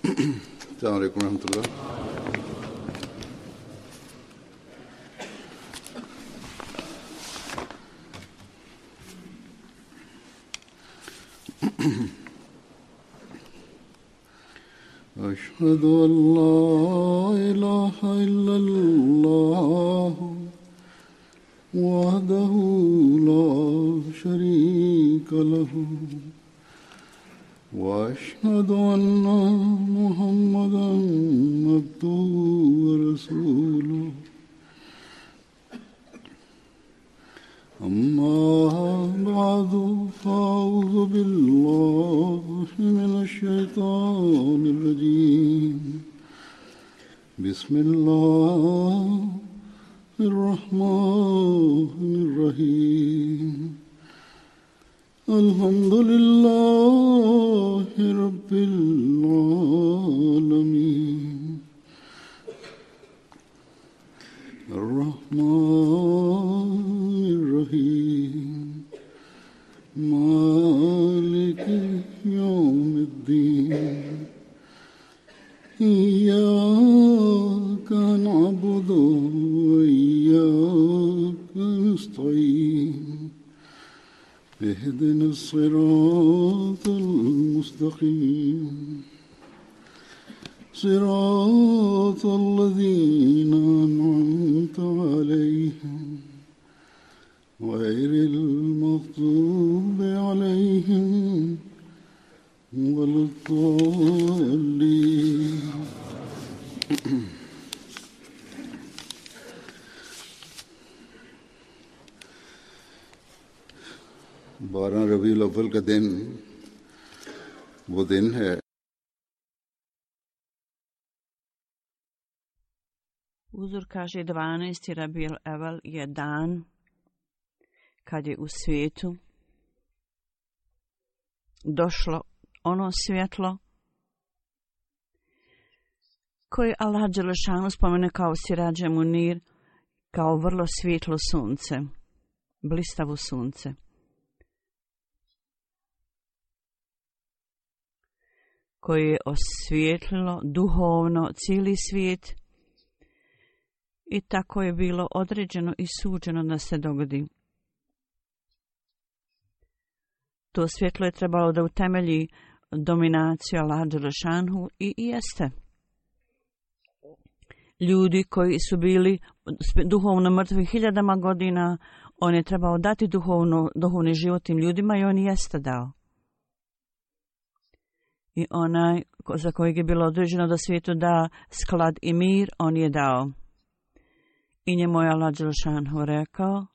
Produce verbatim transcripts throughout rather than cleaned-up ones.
السلام عليكم ورحمة الله. أشهد أن لا إله إلا الله وحده لا شريك له وأشهد أن محمدا عبده ورسوله أما بعد فأعوذ بالله من الشيطان الرجيم بسم الله الرحمن الرحيم الحمد لله رب العالمين الرحمن الرحيم مالك يوم الدين إياك نعبد وإياك نستعين اهدنا الصراط المستقيم صراط الذين أنعمت عليهم غير المغضوب عليهم ولا الضالين. बारह रबीउल अव्वल का दिन वो दिन है Uzor kaže dvanaesti Rabiul Awwal je dan kad je u svijetu došlo ono svjetlo koje Allah dželešanu spomene kao Sirađe Munir, kao vrlo svjetlo sunce, blistavo sunce. Koje je osvijetlilo duhovno cijeli svijet i tako je bilo određeno i suđeno da se dogodi. To svjetlo je trebalo da utemelji dominaciju Allaha dželešanu i jeste. Ljudi koji su bili duhovno mrtvi hiljadama godina, on je trebao dati duhovno, duhovni život tim ljudima i on jeste dao. I onaj za kojeg je bilo određeno da svijetu da sklad i mir, on je dao. I njemu je Allah dželešanu rekao,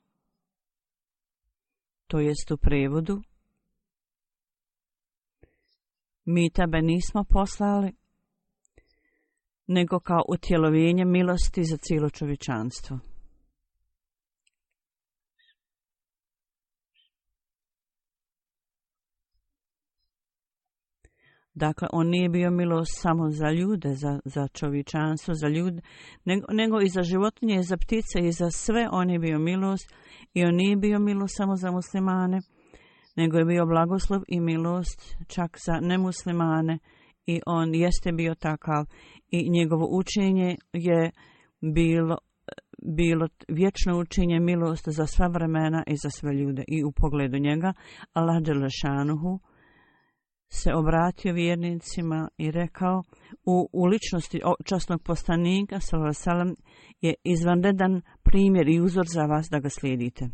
to jest u prevodu, mi tebe nismo poslali, nego kao utjelovljenje milosti za cijelo čovječanstvo. Dakle, on nije bio milost samo za ljude, za, za čovječanstvo, za ljude, nego, nego i za životinje, i za ptice, i za sve on je bio milost. I on nije bio milost samo za muslimane, nego je bio blagoslov i milost čak za nemuslimane. I on jeste bio takav. I njegovo učenje je bilo, bilo vječno učenje milost za sva vremena i za sve ljude. I u pogledu njega, Allah dželešanuhu se obratio vjernicima i rekao, u, u ličnosti časnog poslanika sallallahu alejhi ve sellem je izvanredan primjer i uzor za vas da ga slijedite.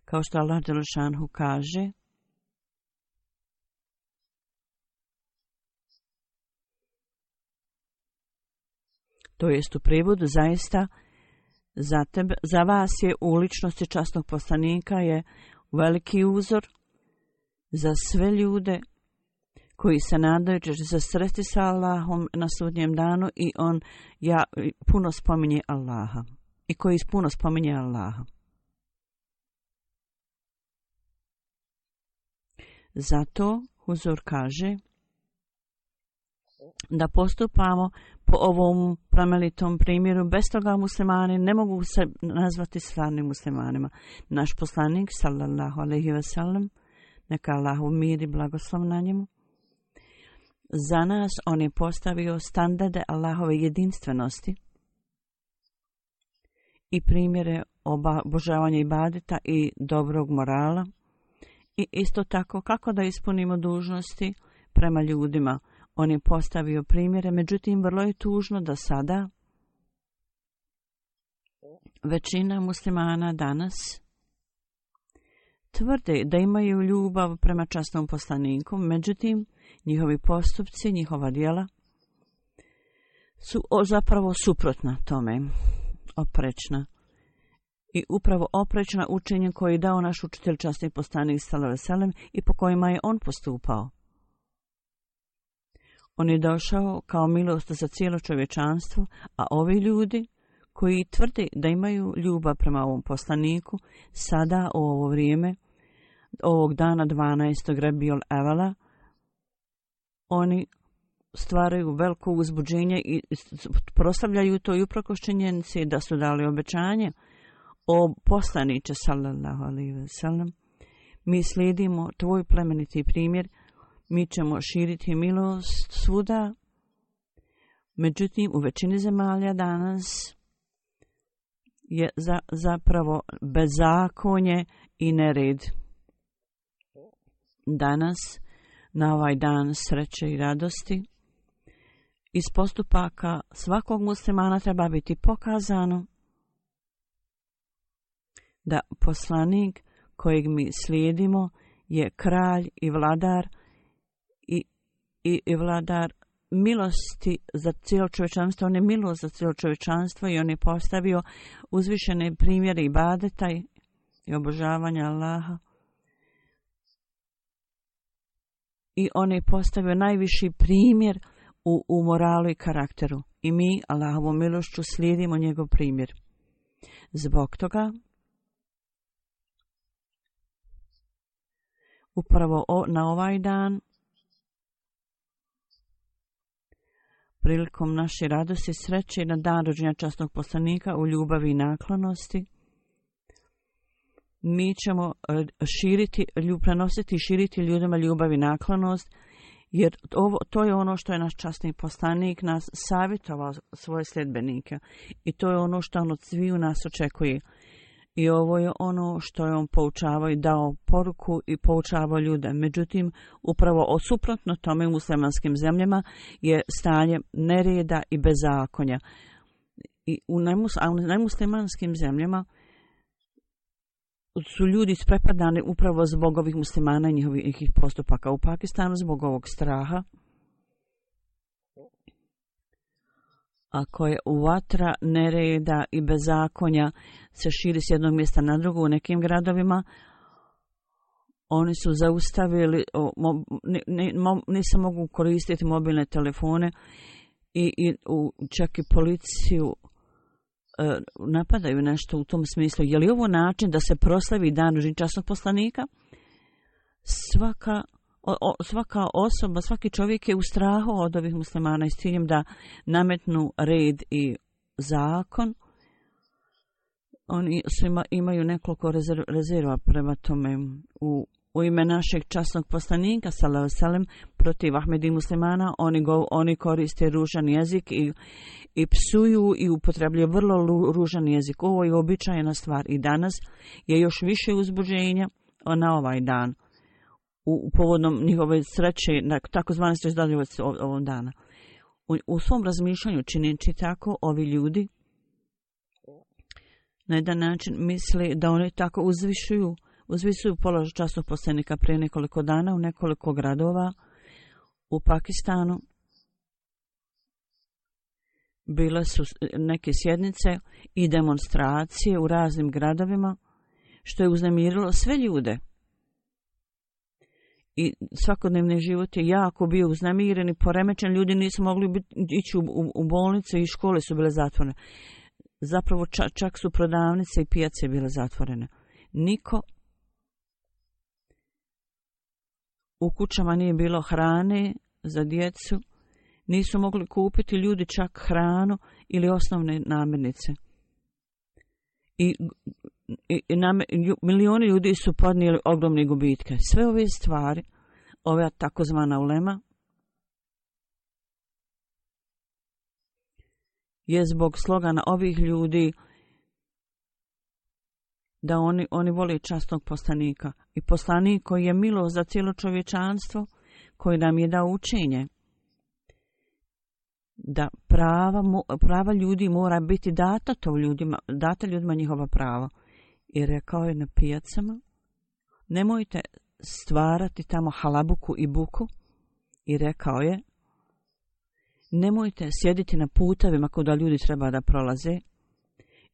Kao što Allah dželešanuhu kaže, to jest u prevodu, zaista za, tebe, za vas je u ličnosti časnog poslanika je veliki uzor za sve ljude koji se nadaju će se sresti sa Allahom na sudnjem danu i on ja, puno spominje Allaha i koji puno spominje Allaha. Zato Huzur kaže da postupamo po ovom plemenitom primjeru. Bez toga muslimani ne mogu se nazvati stvarnim muslimanima. Naš poslanik sallallahu alejhi ve sellem Neka Allahov mir i blagoslov na njemu. Za nas on je postavio standarde Allahove jedinstvenosti i primjere obožavanja ibadeta i dobrog morala. I isto tako kako da ispunimo dužnosti prema ljudima. On je postavio primjere, međutim vrlo je tužno da sada većina muslimana danas tvrde da imaju ljubav prema časnom poslaniku, međutim njihovi postupci, njihova djela su zapravo suprotna tome, oprečna. I upravo oprečna učenje koje je dao naš učitelj časni poslanik sallallahu alejhi ve sellem i po kojima je on postupao. On je došao kao milost za cijelo čovječanstvo, a ovi ljudi koji tvrde da imaju ljubav prema ovom poslaniku, sada u ovo vrijeme, ovog dana dvanaestog Rabiul Evela, oni stvaraju veliko uzbuđenje i proslavljaju to i uprkos činjenici da su dali obećanje o poslaniče sallallahu alejhi ve sellem. Mi slijedimo tvoj plemeniti primjer, mi ćemo širiti milost svuda. Međutim, u većini zemalja danas je za, zapravo bezakonje i nered. Danas, na ovaj dan sreće i radosti, iz postupaka svakog muslimana treba biti pokazano da poslanik kojeg mi slijedimo je kralj i vladar i, i, i vladar milosti za cijelo čovječanstvo. On je milost za cijelo čovječanstvo i on je postavio uzvišene primjere ibadeta i obožavanja Allaha. I on je postavio najviši primjer u, u moralu i karakteru. I mi, Allahovom milošću, slijedimo njegov primjer. Zbog toga, upravo o, na ovaj dan, prilikom naše radosti i sreće i na dan rođenja časnog poslanika u ljubavi i naklonosti, mi ćemo širiti, prenositi i širiti ljudima ljubav i naklonost, jer ovo, to je ono što je naš časni poslanik nas savjetovao svoje sljedbenike. I to je ono što on od sviju nas očekuje. I ovo je ono što je on poučavao i dao poruku i poučavao ljude. Međutim, upravo osuprotno tome u muslimanskim zemljama je stanje nereda i bezakonja. I u nemuslimanskim zemljama su ljudi isprepadani upravo zbog ovih muslimana i njihovih postupaka. U Pakistanu zbog ovog straha, ako je vatra nereda i bezakonja se širi s jednog mjesta na drugo u nekim gradovima, oni su zaustavili, nisam mogu koristiti mobilne telefone i, i u, čak i policiju e, napadaju nešto u tom smislu. Je li ovo način da se proslavi dan rođenja časnog poslanika? Svaka O, o, svaka osoba, svaki čovjek je u strahu od ovih muslimana i s ciljem da nametnu red i zakon. Oni svima imaju nekoliko rezerv, rezerva prema tome. U, u ime našeg časnog poslanika, sallallahu alejhi ve sellem, protiv Ahmedi muslimana, oni, go, oni koriste ružan jezik i, i psuju i upotrebljaju vrlo ružan jezik. Ovo je običajna stvar i danas je još više uzbuđenja na ovaj dan. U, u povodnom njihove sreće, na takozvane srećdaljivosti ovog dana. U, u svom razmišljanju činjeći tako, ovi ljudi na jedan način misle da oni tako uzvišuju, uzvišuju položaj časnog poslanika prije nekoliko dana u nekoliko gradova u Pakistanu. Bile su neke sjednice i demonstracije u raznim gradovima, što je uznemirilo sve ljude. I svakodnevni život je jako bio uznemiren i poremećen. Ljudi nisu mogli biti, ići u, u, u bolnice i škole su bile zatvorene. Zapravo čak, čak su prodavnice i pijace bile zatvorene. Niko u kućama nije bilo hrane za djecu. Nisu mogli kupiti ljudi čak hranu ili osnovne namirnice. I i, i nam, milioni ljudi su podnijeli ogromne gubitke. Sve ove stvari, ova takozvana ulema, je zbog slogana ovih ljudi da oni, oni vole časnog poslanika. I poslanik koji je milost za cijelo čovječanstvo, koji nam je dao učenje da prava, prava ljudi mora biti data to ljudima, data ljudima njihova prava. I rekao je na pijacama, nemojte stvarati tamo halabuku i buku. I rekao je, nemojte sjediti na putevima kuda ljudi treba da prolaze.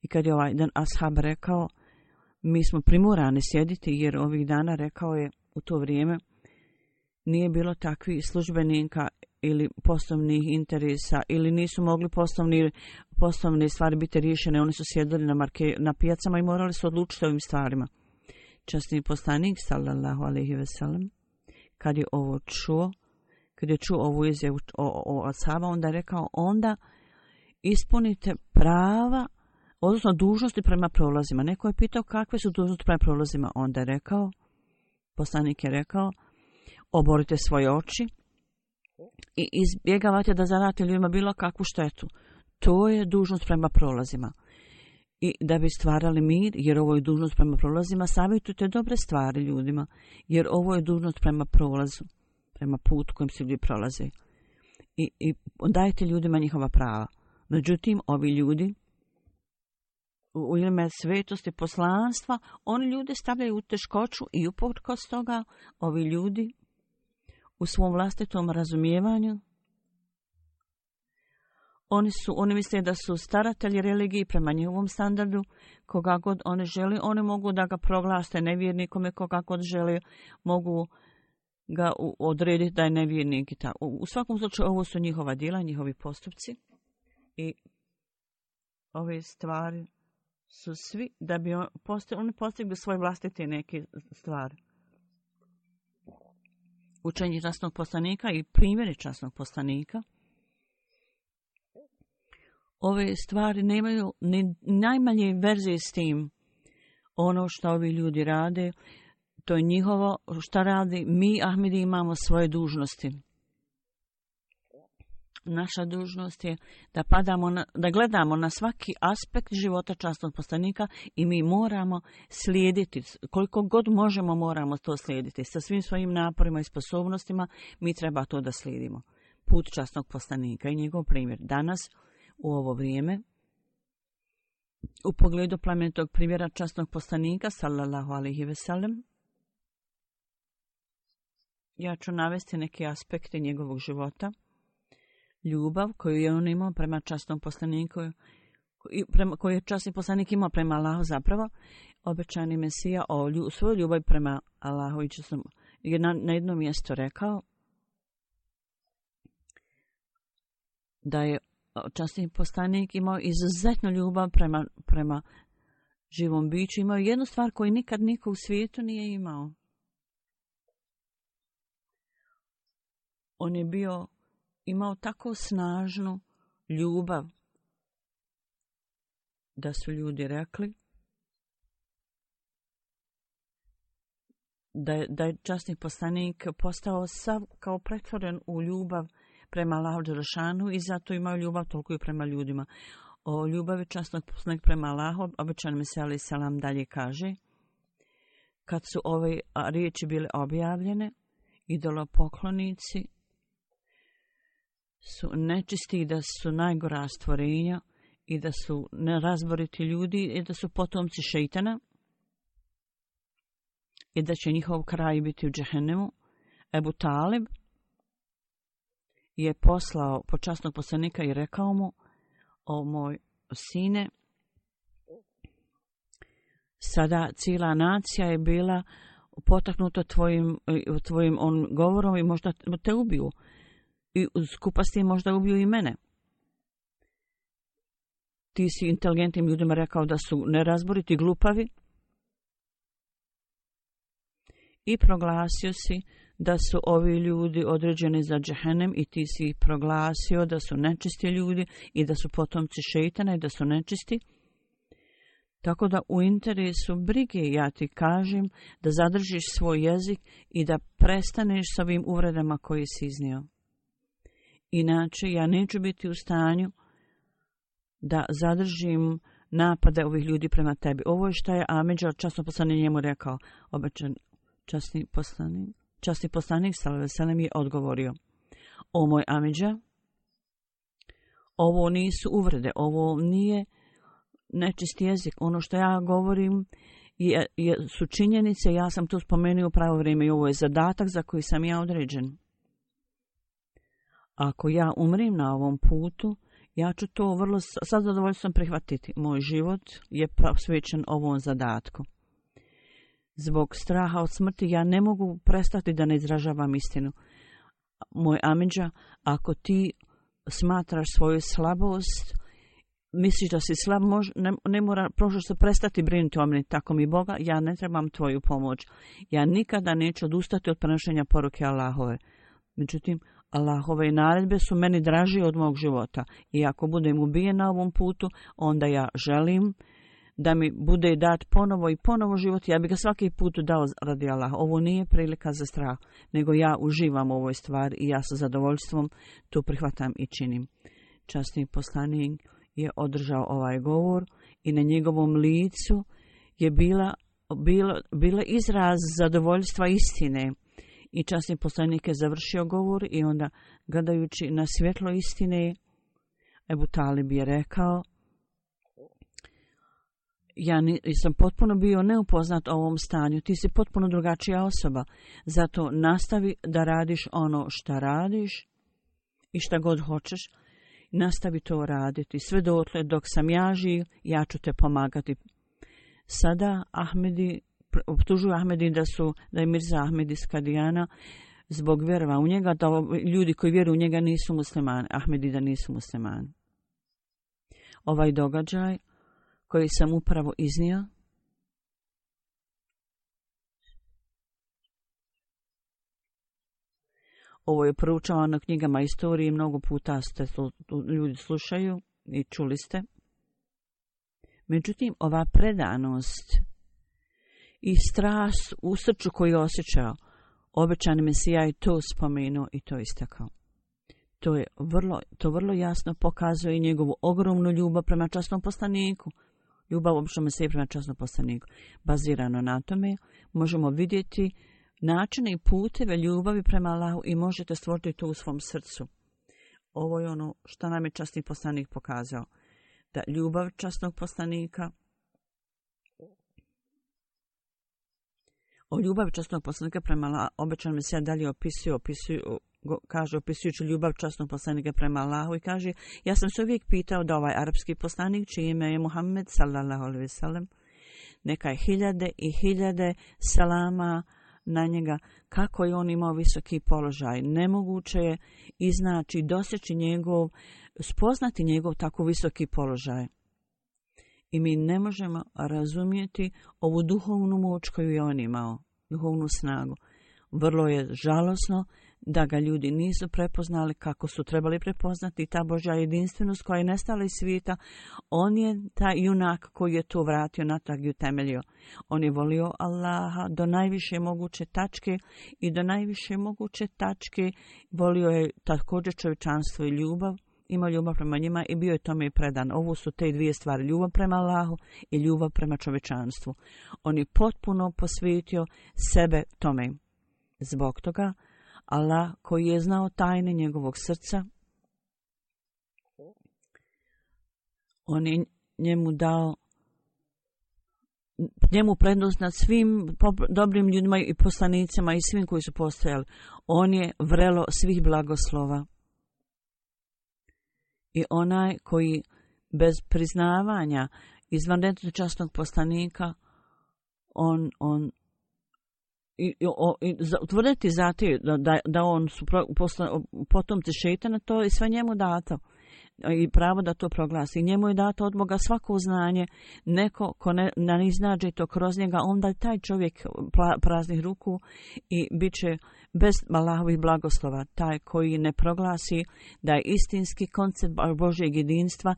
I kad je ovaj dan ashab rekao, mi smo primorani sjediti, jer ovih dana, rekao je, u to vrijeme nije bilo takvih službenika ili poslovnih interesa, ili nisu mogli poslovni, poslovne stvari biti riješene. Oni su sjedili na, marke, na pijacama i morali se odlučiti ovim stvarima. Časni poslanik, sallallahu alejhi ve sellem, kad je ovo čuo, kad je čuo ovu izjavu o, o ashaba, onda je rekao, onda ispunite prava, odnosno dužnosti prema prolazima. Neko je pitao kakve su dužnosti prema prolazima. Onda je rekao, poslanik je rekao, oborite svoje oči i izbjegavate da zadate ljudima bilo kakvu štetu. To je dužnost prema prolazima. I da bi stvarali mir, jer ovo je dužnost prema prolazima, savjetujte dobre stvari ljudima, jer ovo je dužnost prema prolazu, prema putu kojim se ljudi prolaze. I, i dajte ljudima njihova prava. Međutim, ovi ljudi, u ime svetosti poslanstva, oni ljude stavljaju u teškoću i uprkos toga ovi ljudi u svom vlastitom razumijevanju, oni su, oni misle da su staratelji religiji prema njihovom standardu, koga god oni žele, oni mogu da ga proglase nevjernikome, koga god žele, mogu ga odrediti da je nevjernik i tako. U svakom slučaju ovo su njihova djela, njihovi postupci i ove stvari su svi da bi on, oni postigli svoje vlastite neke stvari. Učenje časnog poslanika i primjeri časnog poslanika. Ove stvari nemaju ni najmanje verzije s tim. Ono što ovi ljudi rade, to je njihovo što radi. Mi, Ahmedi, imamo svoje dužnosti. Naša dužnost je da padamo na, da gledamo na svaki aspekt života časnog poslanika i mi moramo slijediti, koliko god možemo moramo to slijediti. Sa svim svojim naporima i sposobnostima mi treba to da slijedimo. Put časnog poslanika i njegov primjer. Danas, u ovo vrijeme, u pogledu plemenitog primjera časnog poslanika, sallallahu alejhi ve sellem, ja ću navesti neke aspekte njegovog života. Ljubav koju je on imao prema časnom poslaniku, koju je časni poslanik imao prema Allahu, zapravo obećani Mesija o lju, svoju ljubav prema Allahu i časnom, je na, na jednom mjestu rekao da je časni poslanik imao izuzetnu ljubav prema, prema živom biću. Imao jednu stvar koju nikad niko u svijetu nije imao. On je bio imao tako snažnu ljubav da su ljudi rekli da je, da je časni poslanik postao sav kao pretvoren u ljubav prema Allahu dželešanu i zato imao ljubav toliko i prema ljudima. O ljubavi časnog poslanika prema Allahu, obećani Mesija alejhi selam dalje kaže, kad su ove riječi bile objavljene, idolopoklonici su nečisti, da su najgora stvorenja i da su nerazboriti ljudi i da su potomci šejtana i da će njihov kraj biti u džehennemu. Ebu Talib je poslao počasnog poslanika i rekao mu, o moj sine, sada cijela nacija je bila potaknuta tvojim, tvojim on govorom i možda te ubiju. I skupa s tim možda ubiju i mene. Ti si inteligentnim ljudima rekao da su nerazboriti, glupavi i proglasio si da su ovi ljudi određeni za džehennem i ti si proglasio da su nečisti ljudi i da su potomci šejtana i da su nečisti. Tako da u interesu brige ja ti kažem da zadržiš svoj jezik i da prestaneš s ovim uvredama koje si iznio. Inače, ja neću biti u stanju da zadržim napade ovih ljudi prema tebi. Ovo je što je Amidža, časno poslanik, njemu rekao. Obećan časni poslanik, časni poslanik sallallahu alejhi ve sellem je odgovorio: o moj Amidža, ovo nisu uvrede, ovo nije nečist jezik. Ono što ja govorim je, je, su činjenice, ja sam to spomenuo u pravo vrijeme i ovo je zadatak za koji sam ja određen. Ako ja umrim na ovom putu, ja ću to vrlo sa zadovoljstvom prihvatiti. Moj život je posvećen ovom zadatku. Zbog straha od smrti ja ne mogu prestati da ne izražavam istinu. Moj Amidža, ako ti smatraš svoju slabost, misliš da si slab, mož, ne, ne mora prošlo se prestati brinuti o meni, tako mi Boga, ja ne trebam tvoju pomoć. Ja nikada neću odustati od prenošenja poruke Allahove. Međutim, Allahove naredbe su meni draži od mog života. I ako budem ubijen na ovom putu, onda ja želim da mi bude dat ponovo i ponovo život. Ja bih ga svaki put dao radi Allaha. Ovo nije prilika za strah, nego ja uživam u ovoj stvari i ja sa zadovoljstvom to prihvatam i činim. Časni poslanik je održao ovaj govor i na njegovom licu je bila, bila, bila izraz zadovoljstva istine. I časni poslanik je završio govor i onda, gledajući na svjetlo istine, Ebu Talib je rekao: ja sam potpuno bio neupoznat o ovom stanju, ti si potpuno drugačija osoba, zato nastavi da radiš ono šta radiš i šta god hoćeš, nastavi to raditi. Sve dotle dok sam ja živ, ja ću te pomagati. Sada Ahmedi optužuju Ahmedi da su, da je Mirza Ahmed iz Kadijana zbog vjerova u njega, da ljudi koji vjeruju u njega nisu muslimani, Ahmedi da nisu muslimani. Ovaj događaj koji sam upravo iznio ovo je proučavano na knjigama istorije, mnogo puta ste ljudi slušaju i čuli ste. Međutim, ova predanost i strast u srcu koju je osjećao, obećani Mesija je to spomenuo i to istakao. To je vrlo, to vrlo jasno pokazuje njegovu ogromnu ljubav prema časnom poslaniku. Ljubav obično Mesija prema časnom poslaniku. Bazirano na tome možemo vidjeti načine i puteve ljubavi prema Allahu i možete stvoriti to u svom srcu. Ovo je ono što nam je časni poslanik pokazao. Da ljubav časnog poslanika, o ljubavi časnog poslanika prema Allahu, obećan Mesija dalje opisuje, opisuje, kaže, opisujući ljubav časnog poslanika prema Allahu i kaže: ja sam se uvijek pitao da ovaj arapski poslanik, čije ime je Muhammed sallallahu alejhi ve sellem, neka je hiljade i hiljade selama na njega, kako je on imao visoki položaj. Nemoguće je iznaći, doseći njegov, spoznati njegov tako visoki položaj. I mi ne možemo razumjeti ovu duhovnu moć koju je on imao, duhovnu snagu. Vrlo je žalosno da ga ljudi nisu prepoznali kako su trebali prepoznati. Ta Božja jedinstvenost koja je nestala iz svijeta, on je taj junak koji je to vratio natrag i utemeljio. On je volio Allaha do najviše moguće tačke i do najviše moguće tačke volio je također čovječanstvo i ljubav. Imao ljubav prema njima i bio je tome i predan. Ovo su te dvije stvari, ljubav prema Allahu i ljubav prema čovječanstvu. On je potpuno posvetio sebe tome. Zbog toga, Allah koji je znao tajne njegovog srca, on je njemu dao njemu prednost nad svim dobrim ljudima i poslanicima i svim koji su postojali. On je vrelo svih blagoslova. I onaj koji bez priznavanja izvanrednog časnog poslanika, on, on i, o, i utvrditi za te, da, da on su posla, potomci šejtana, to je sve njemu dato. i pravo da to proglasi. Njemu je dato od Boga svako znanje, neko ko ne, ne iznađe to kroz njega, onda taj čovjek praznih ruku i bit će bez Allahovih blagoslova. Taj koji ne proglasi da je istinski koncept Božjeg jedinstva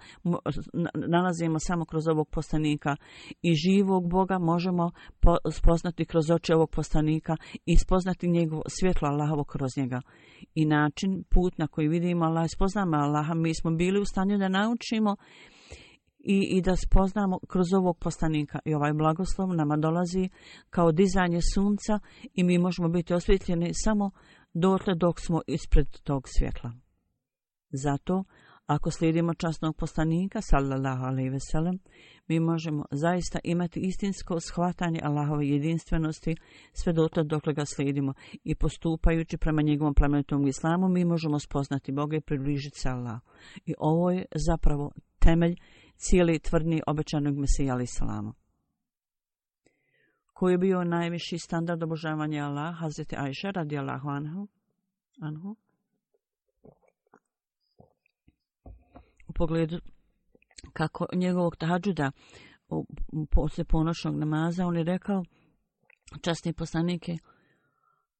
nalazimo samo kroz ovog poslanika i živog Boga možemo spoznati kroz oči ovog poslanika i spoznati njegovo svjetlo Allahovo kroz njega. I način, put na koji vidimo Allah, spoznamo Allaha, mi smo bili u stanju da naučimo i, i da spoznamo kroz ovog poslanika. I ovaj blagoslov nama dolazi kao dizanje sunca i mi možemo biti osvjetljeni samo dotle dok smo ispred tog svjetla. Zato, ako slijedimo časnog poslanika, sallallahu alejhi ve sellem, mi možemo zaista imati istinsko shvatanje Allahove jedinstvenosti sve dotle dokle ga slijedimo i postupajući prema njegovom plemenitom islamu, mi možemo spoznati Boga i približiti se Allahu. I ovo je zapravo temelj cijeli tvrdnji obećanog Mesija alejhi selam. Koji je bio najviši standard obožavanja Allaha? Hazreti Ajša radijallahu anhu. anhu. U pogledu kako njegovog tahadžuda posle ponoćnog namaza, on je rekao, časni poslanik je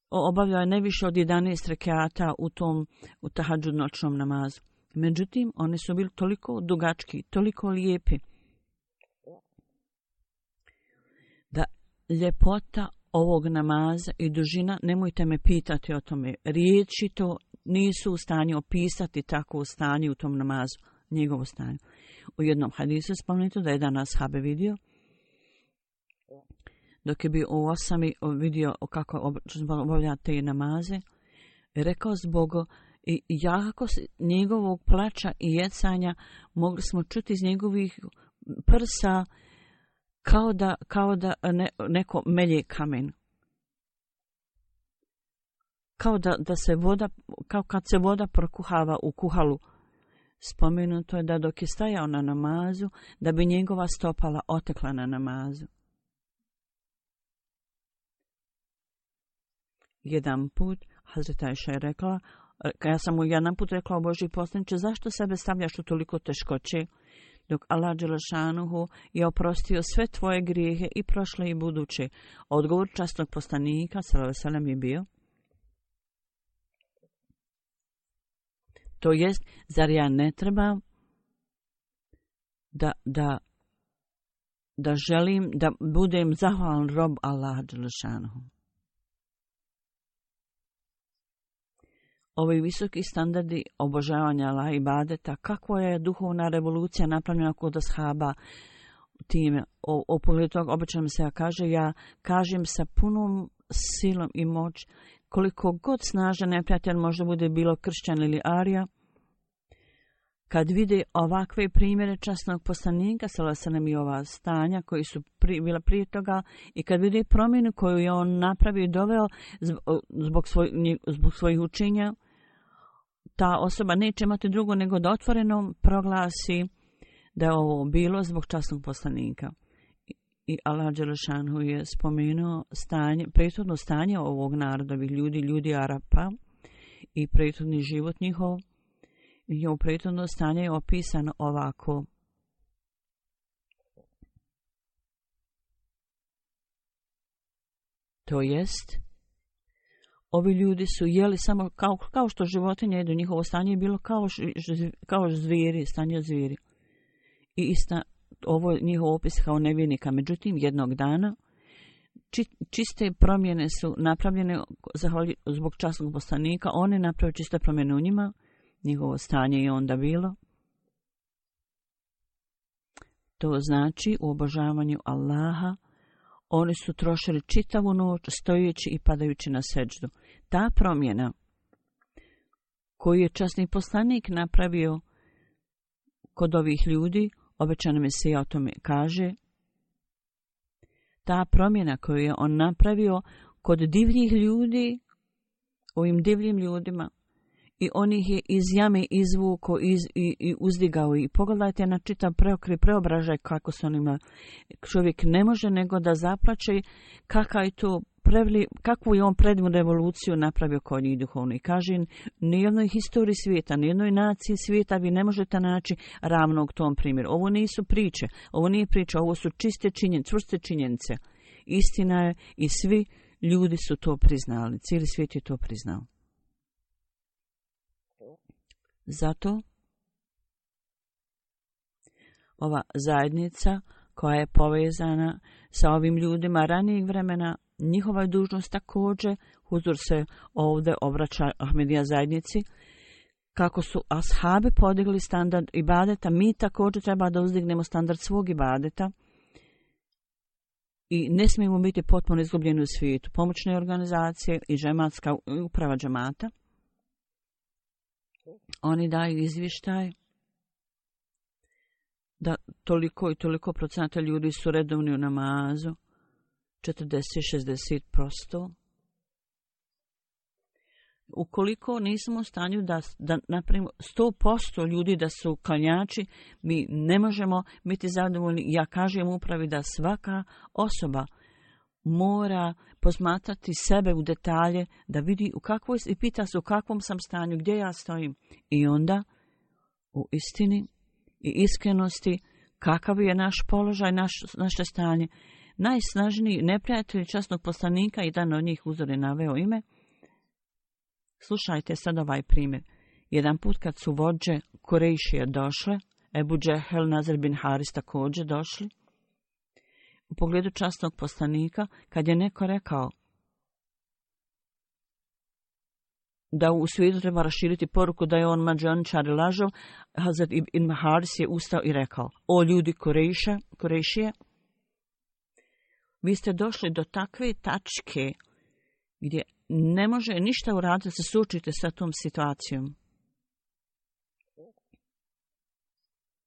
obavljao je ne više od jedanaest rekata u tom u tahadžud noćnom namazu. Međutim, oni su bili toliko dugački, toliko lijepi, da ljepota ovog namaza i dužina, nemojte me pitati o tome, riječi to nisu u stanju opisati takvo stanje u tom namazu, njegovo stanje. U jednom hadisu spomenuto da je jedan ashab vidio, dok je bio u osami, vidio kako obavlja te namaze, rekao zbog i jako njegovog plača i jecanja mogli smo čuti iz njegovih prsa kao da, kao da ne, neko melje kamen. Kao da, da se voda, kao kad se voda prokuhava u kuhalu. Spomenuto je da dok je stajao na namazu, da bi njegova stopala otekla na namazu. Jedan put Hazreti Ajša je rekla, ja sam mu jedan put rekla, o Božji poslaniče, zašto sebe stavljaš u toliko teškoće, dok Allah dželešanuhu je oprostio sve tvoje grijehe i prošle i buduće. Odgovor časnog poslanika sallallahu alejhi ve sellem je bio, to jest, zar ja ne trebam da, da, da želim da budem zahvalan rob Allaha dželešanuhu. Ovi visoki standardi obožavanja Allaha i ibadeta, kakva je duhovna revolucija napravljena kod ashaba time. O, o pogledu toga obično se ja kaže, ja kažem sa punom silom i moć, koliko god snažan neprijatelj možda bude bilo kršćan ili arija, kad vide ovakve primjere časnog poslanika, sallallahu alejhi ve sellem, i ova stanja koji su pri, bila prije toga, i kad vide promjenu koju je on napravio i doveo zbog, svoj, zbog svojih učenja, ta osoba neće imati drugo nego da otvoreno proglasi da je ovo bilo zbog časnog poslanika. I Allah dželešanuhu je spomenuo stanje, prethodno stanje ovog narodovih ljudi, ljudi Arapa i prethodni život njihov. Njihovo prethodno stanje je opisano ovako. To jest, ovi ljudi su jeli samo kao, kao što životinje jedu, njihovo stanje je bilo kao, kao zvijeri, stanje zvijeri. I ista, ovo je njihov opis kao nevjernika. Međutim, jednog dana či, čiste promjene su napravljene zbog časnog poslanika. Oni napravili čiste promjene u njima. Njihovo stanje je onda bilo. To znači u obožavanju Allaha oni su trošili čitavu noć stojeći i padajući na seđdu. Ta promjena koju je časni poslanik napravio kod ovih ljudi, obećani Mesija o tome kaže, ta promjena koju je on napravio kod divljih ljudi, ovim divljim ljudima, i on ih je iz jame izvuko iz, i, i uzdigao. I pogledajte na čitav preokret, preobražaj kako se on ima. Čovjek ne može nego da zaplače kakva je to preveli, kakvu je on predivnu revoluciju napravio kod njih duhovno. I kaže, nijednoj historiji svijeta, nijednoj naciji svijeta vi ne možete naći ravnog tom primjeru. Ovo nisu priče, ovo nije priča, ovo su čiste činjenice, čvrste činjenice. Istina je i svi ljudi su to priznali, cijeli svijet je to priznao. Zato ova zajednica koja je povezana sa ovim ljudima ranijeg vremena, njihova je dužnost također, Huzur se ovdje obraća Ahmedija zajednici, kako su ashabi podigli standard ibadeta, mi također treba da uzdignemo standard svog ibadeta i ne smijemo biti potpuno izgubljeni u svijetu. Pomoćne organizacije i džematska uprava džemata, oni daju izvještaj da toliko i toliko procenata ljudi su redovni u namazu, četrdeset do šezdeset posto. Ukoliko nismo u stanju da, da napravimo sto posto ljudi da su klanjači, mi ne možemo biti zadovoljni. Ja kažem upravi da svaka osoba mora posmatrati sebe u detalje, da vidi u kakvoj, i pita se u kakvom sam stanju, gdje ja stojim. I onda u istini i iskrenosti kakav je naš položaj, naš, naše stanje. Najsnažniji neprijatelj časnog poslanika, jedan od njih Huzur je naveo ime. Slušajte sad ovaj primjer. Jedan put kad su vođe Kurejšije došle, Ebu Džehel, Nazir bin Haris također došli, u pogledu časnog poslanika, kad je neko rekao da u svijetu treba raširiti poruku da je on mađioničar i lažov, Hazret ibn Haris je ustao i rekao: o ljudi Kurejša, Kurejšije, vi ste došli do takve tačke gdje ne može ništa uraditi da se suočite sa tom situacijom.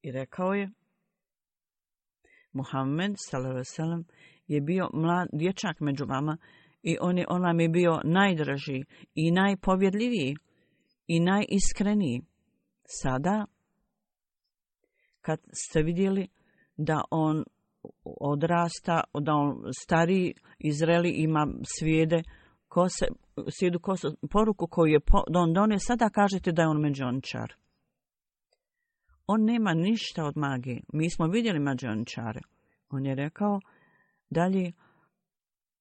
I rekao je, Muhammed sallallahu alejhi ve sellem je bio mlad dječak među vama i on, je, on vam je bio najdraži i najpovjedljiviji i najiskreniji. Sada, kad ste vidjeli da on odrasta, da on stari, izreli, ima svijede, kose, svijedu kose, poruku koju je on donio, sada kažete da je on mađioničar. On nema ništa od magije. Mi smo vidjeli mađioničare. On je rekao dalje,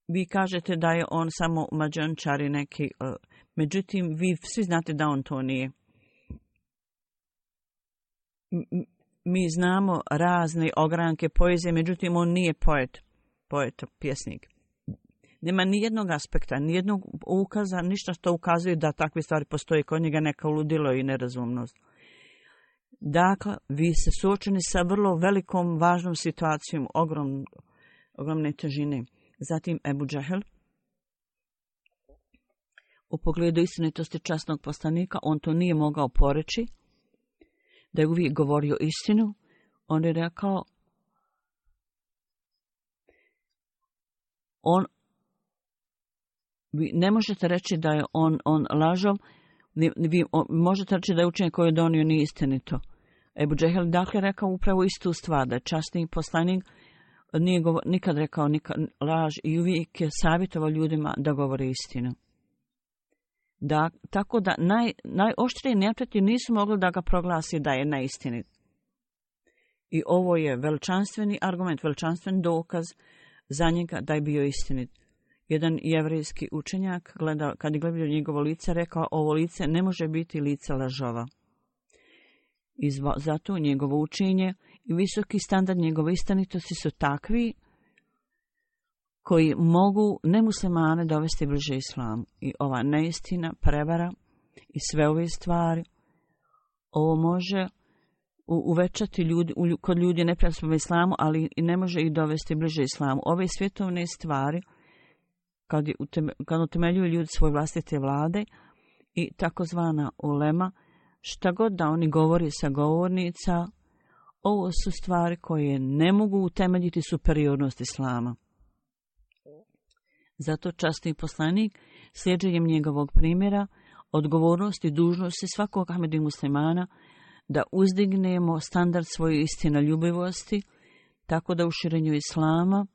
vi kažete da je on samo mađioničar i neki, uh, međutim, vi svi znate da on to nije. M- mi znamo razne ogranke poezije, međutim, on nije poet, poet, pjesnik. Nema ni jednog aspekta, ni jednog ukaza, ništa što ukazuje da takve stvari postoje kod njega, neka ludilo i nerazumnost. Dakle, vi ste suočeni sa vrlo velikom, važnom situacijom, ogrom, ogromne težine. Zatim Ebu Džehel, u pogledu istinitosti časnog poslanika, on to nije mogao poreći, da je uvijek govorio istinu. On je rekao, on, vi ne možete reći da je on, on lažov, vi možete reći da je učenje koje je donio nije istinito. Ebu Džehel dakle rekao upravo istu stvar, da je časni poslanik nije govor, nikad rekao nikad laž i uvijek je savjetovao ljudima da govore istinu. Da, tako da naj, najoštriji neprijatelji nisu mogli da ga proglasi da je neistinit. I ovo je veličanstveni argument, veličanstven dokaz za njega da je bio istinit. Jedan jevrejski učenjak, gleda, kad je gledao njegovo lice, rekao, ovo lice ne može biti lice lažova. I zato njegovo učenje i visoki standard njegove istinitosti su takvi koji mogu nemuslimane dovesti bliže islamu. I ova neistina, prevara i sve ove stvari, ovo može uvećati ljudi, kod ljudi neprijateljstva islamu, ali i ne može ih dovesti bliže islamu. Ove svjetovne stvari, kad, kad utemeljuju ljudi svoje vlastite vlade i takozvana ulema, šta god da oni govori sa govornica, ovo su stvari koje ne mogu utemeljiti superiornost islama. Zato časni poslanik, slijedženjem njegovog primjera, odgovornost i dužnost svakog Ahmedi muslimana da uzdignemo standard svoje istinoljubivosti, tako da u širenju islama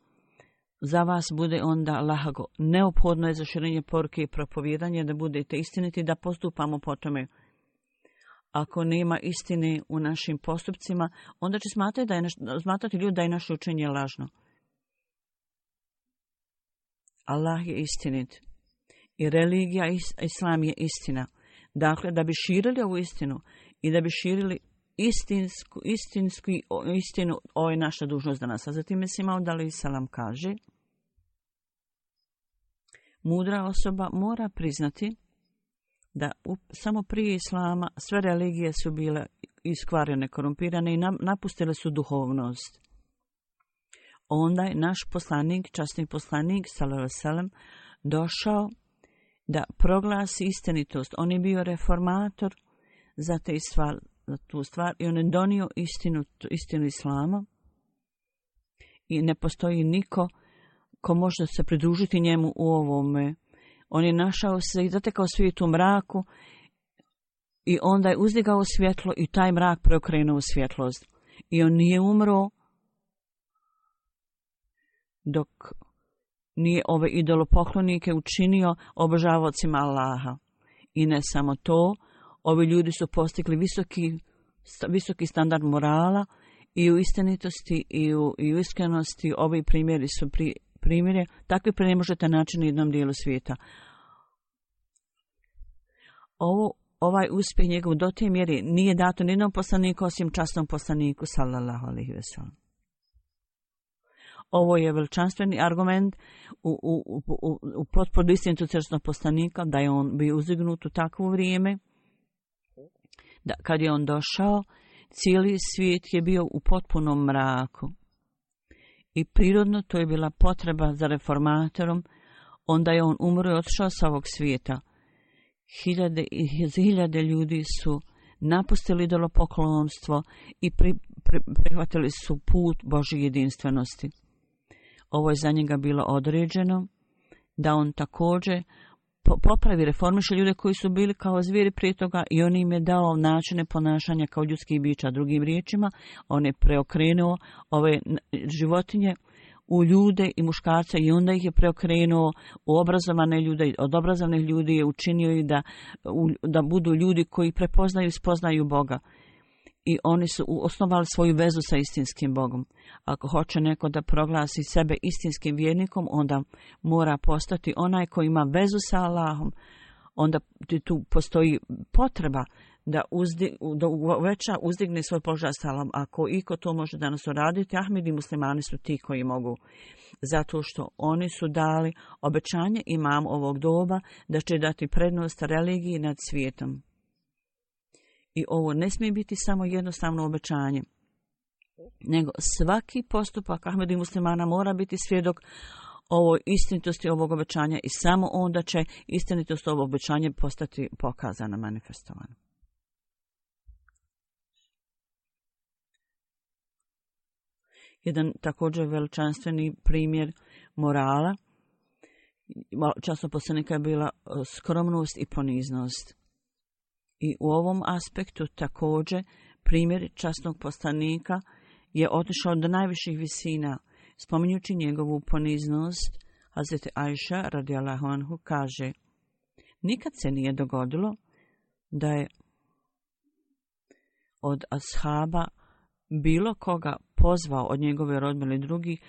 za vas bude onda lahago. Neophodno je za širenje poruke i propovijedanje da budete istiniti, da postupamo po tome. Ako nema istine u našim postupcima, onda će smatrati, da je naš, smatrati ljudi da je naše učenje lažno. Allah je istinit i religija islam je istina. Dakle, da bi širili ovu istinu i da bi širili istinsku, istinsku istinu, ovo je naša dužnost danas. A zatim Mesih Maud alejhi selam kaže, mudra osoba mora priznati da u, samo prije islama sve religije su bile iskvarene, korumpirane i napustile su duhovnost. Onda je naš poslanik, časni poslanik, sallallahu alejhi ve sellem, došao da proglasi istinitost. On je bio reformator za, te stvar, za tu stvar i on je donio istinu, istinu islama i ne postoji niko ko može se pridružiti njemu u ovome. On je našao se i zatekao svijet u mraku i onda je uzdigao svjetlo i taj mrak preokrenuo u svjetlost. I on nije umro dok nije ove idolopoklonike učinio obožavaocima Allaha. I ne samo to, ovi ljudi su postigli visoki, visoki standard morala i u istinitosti i u, i u iskrenosti. Ovi primjeri su pri, primjere, takvi ne možete naći na jednom dijelu svijeta. Ovo, ovaj uspjeh njegov do te mjere nije dato nijednom poslaniku osim časnom poslaniku sallallahu alejhi ve sellem. Ovo je veličanstveni argument u, u, u, u, u potporu istinitu crkvenog poslanika da je on bio uzdignut u takvo vrijeme. Da, kad je on došao, cijeli svijet je bio u potpunom mraku. I prirodno to je bila potreba za reformatorom. Onda je on umro i otišao sa ovog svijeta. Hiljade i hiljade ljudi su napustili idolopoklonstvo i pri, pri, prihvatili su put Božje jedinstvenosti. Ovo je za njega bilo određeno da on također popravi, reformiše ljude koji su bili kao zvijeri prije toga i on im je dao načine ponašanja kao ljudskih bića. Drugim riječima, on je preokrenuo ove životinje u ljude i muškarce i onda ih je preokrenuo u obrazovane ljude. Od obrazovnih ljudi je učinio i da, da budu ljudi koji prepoznaju i spoznaju Boga. I oni su osnovali svoju vezu sa istinskim Bogom. Ako hoće neko da proglasi sebe istinskim vjernikom, onda mora postati onaj koji ima vezu sa Allahom. Onda tu postoji potreba da, uzdi, da uveća, uzdigne svoj položaj sa Allahom. Ako iko to može danas uraditi, Ahmedi muslimani su ti koji mogu. Zato što oni su dali obećanje imam ovog doba da će dati prednost religiji nad svijetom. I ovo ne smije biti samo jednostavno obećanje, nego svaki postupak Ahmedi muslimana mora biti svjedok ovoj istinitosti ovog obećanja i samo onda će istinitost ovog obećanja postati pokazana, manifestovana. Jedan također veličanstveni primjer morala časnog poslanika je bila skromnost i poniznost. I u ovom aspektu također primjer časnog poslanika je otišao do najviših visina. Spominjući njegovu poniznost, Hazreti Ajša radijallahu anhu kaže, nikad se nije dogodilo da je od ashaba bilo koga pozvao od njegove rodbine ili drugih,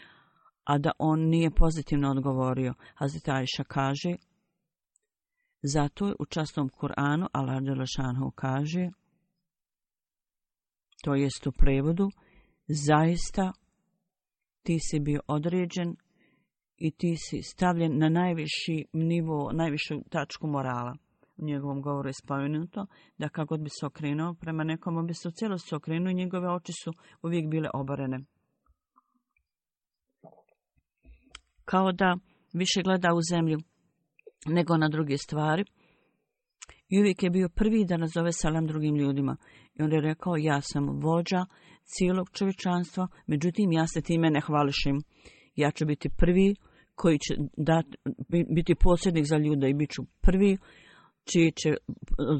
a da on nije pozitivno odgovorio. Hazreti Ajša kaže, zato je u časnom Kur'anu Allah dželešanu kaže, to jest u prevodu, zaista ti si bio određen i ti si stavljen na najviši nivo, najvišu tačku morala. U njegovom govoru je spomenuto da kako bi se okrenuo prema nekom, on bi se u cijelosti okrenuo i njegove oči su uvijek bile oborene. Kao da više gleda u zemlju nego na druge stvari. I uvijek je bio prvi da nazove salam drugim ljudima. I on je rekao, ja sam vođa cijelog čovječanstva, međutim ja se time ne hvališim. Ja ću biti prvi koji će dati, biti posrednik za ljude i bit ću prvi čije će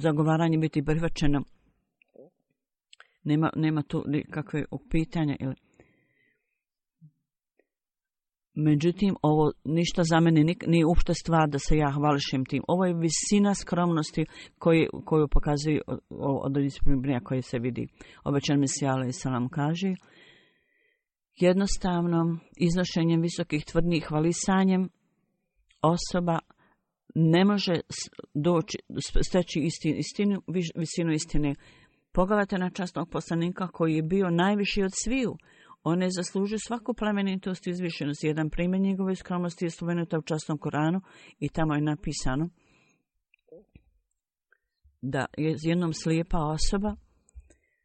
zagovaranje biti prihvaćeno. Nema, nema tu nikakve pitanja. Međutim, ovo ništa za mene nije uopšte stvar da se ja hvališem tim. Ovo je visina skromnosti koju, koju pokazuje od disciplina koje se vidi. Obećan Mesija alejhi selam kaže, jednostavno iznošenjem visokih tvrdnjih hvalisanjem osoba ne može doći, steći istinu, istinu, visinu istine. Pogledajte na časnog poslanika koji je bio najviši od sviju. On je zaslužio svaku plemenitost i izvišenost. Jedan primjer njegove skromnosti je spomenuta u časnom Koranu i tamo je napisano da je jednom slijepa osoba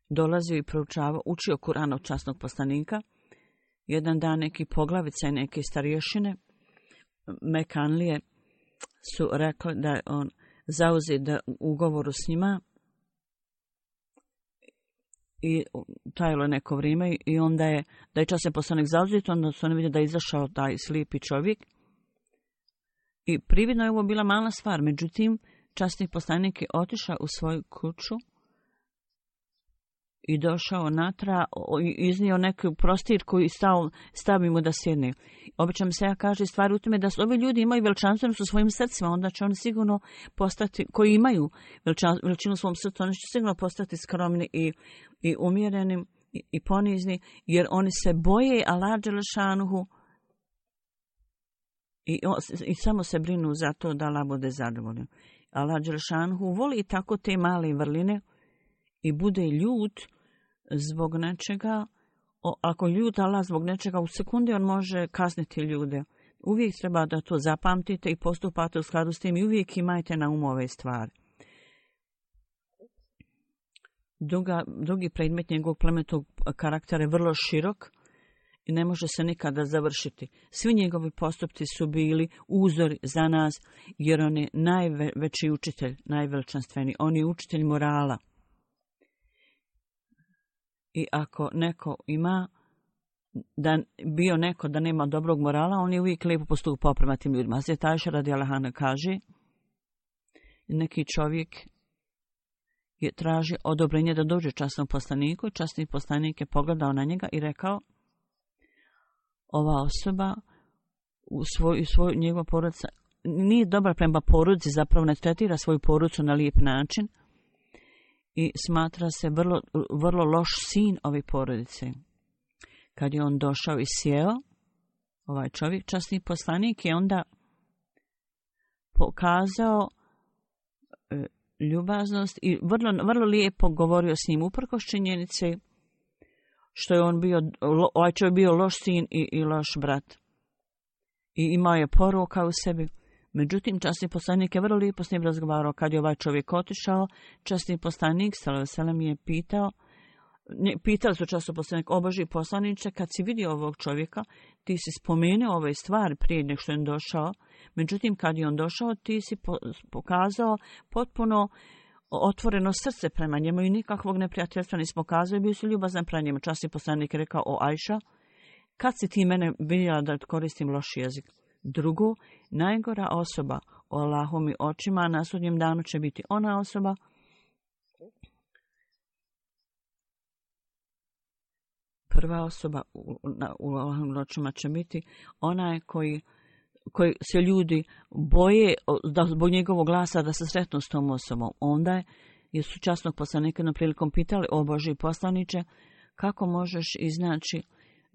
dolazio i proučavao, učio Kuran od časnog poslanika. Jedan dan neki poglavica i neke starješine Mekanlije su rekli da je on zauzet da ugovoru s njima i trajalo neko vrijeme i onda je, da je časni poslanik zauzet, onda su oni vidjeli da je izašao taj slijepi čovjek. I prividno je ovo bila mala stvar, međutim, časni poslanik je otišao u svoju kuću i došao natra i iznio neki prostir koji stao, stavi mu da sjedne. Obično se ja kaže stvari u tome da su ovi ljudi imaju veličanstvenost u svojim srcima, onda će oni sigurno postati, koji imaju veličinu u svom srcu, oni će sigurno postati skromni i, i umjereni i, i ponizni, jer oni se boje Allaha dželešanuhu i, i samo se brinu za to da Allah bude zadovoljan. Allaha dželešanuhu voli tako te male vrline i bude ljut zbog nečega. O, ako ljut Allah zbog nečega, u sekundi on može kazniti ljude. Uvijek treba da to zapamtite i postupate u skladu s tim i uvijek imajte na umu ove stvari. Druga, drugi predmet njegovog plemenitog karaktera je vrlo širok i ne može se nikada završiti. Svi njegovi postupci su bili uzor za nas, jer on je najveći učitelj, najveličanstveniji. On je učitelj morala. I ako neko ima, da bio neko da nema dobrog morala, on je uvijek lijepo postupao prema tim ljudima. Hazreti Ajša radijallahu anha kaže, neki čovjek je traži odobrenje da dođe časnom poslaniku. Časni poslanik je pogledao na njega i rekao, ova osoba u svoj, svoj njegova porodica nije dobra prema porodici, zapravo ne tretira svoju porodicu na lijep način i smatra se vrlo, vrlo loš sin ove porodice. Kad je on došao i sjeo, ovaj čovjek, časni poslanik, je onda pokazao e, ljubaznost i vrlo, vrlo lijepo govorio s njim uprkos činjenice što je on bio, ovaj čovjek bio loš sin i, i loš brat. I imao je poroka u sebi. Međutim, časni poslanik je vrlo lijepo s njim razgovarao. Kad je ovaj čovjek otišao, časni poslanik sallallahu alejhi ve sellem je pitao, ne, pitali su časni poslanik, o Božji poslaniče, kad si vidio ovog čovjeka, ti si spomenuo ove stvari prije nego što je on došao. Međutim, kad je on došao, ti si po, pokazao potpuno otvoreno srce prema njemu i nikakvog neprijateljstva nisi pokazao i bio si ljubazan prema njemu. Časni poslanik je rekao, o Ajša, kad si ti mene vidjela da koristim loš jezik? Drugo, najgora osoba u Allahovim očima na sudnjem danu će biti ona osoba prva osoba u, u Allahovim očima će biti onaj koji, koji se ljudi boje da zbog njegovog glasa da se sretnu s tom osobom. Onda je su časnog poslanika na prilikom pitali, o Božji poslaniče, kako možeš iznaći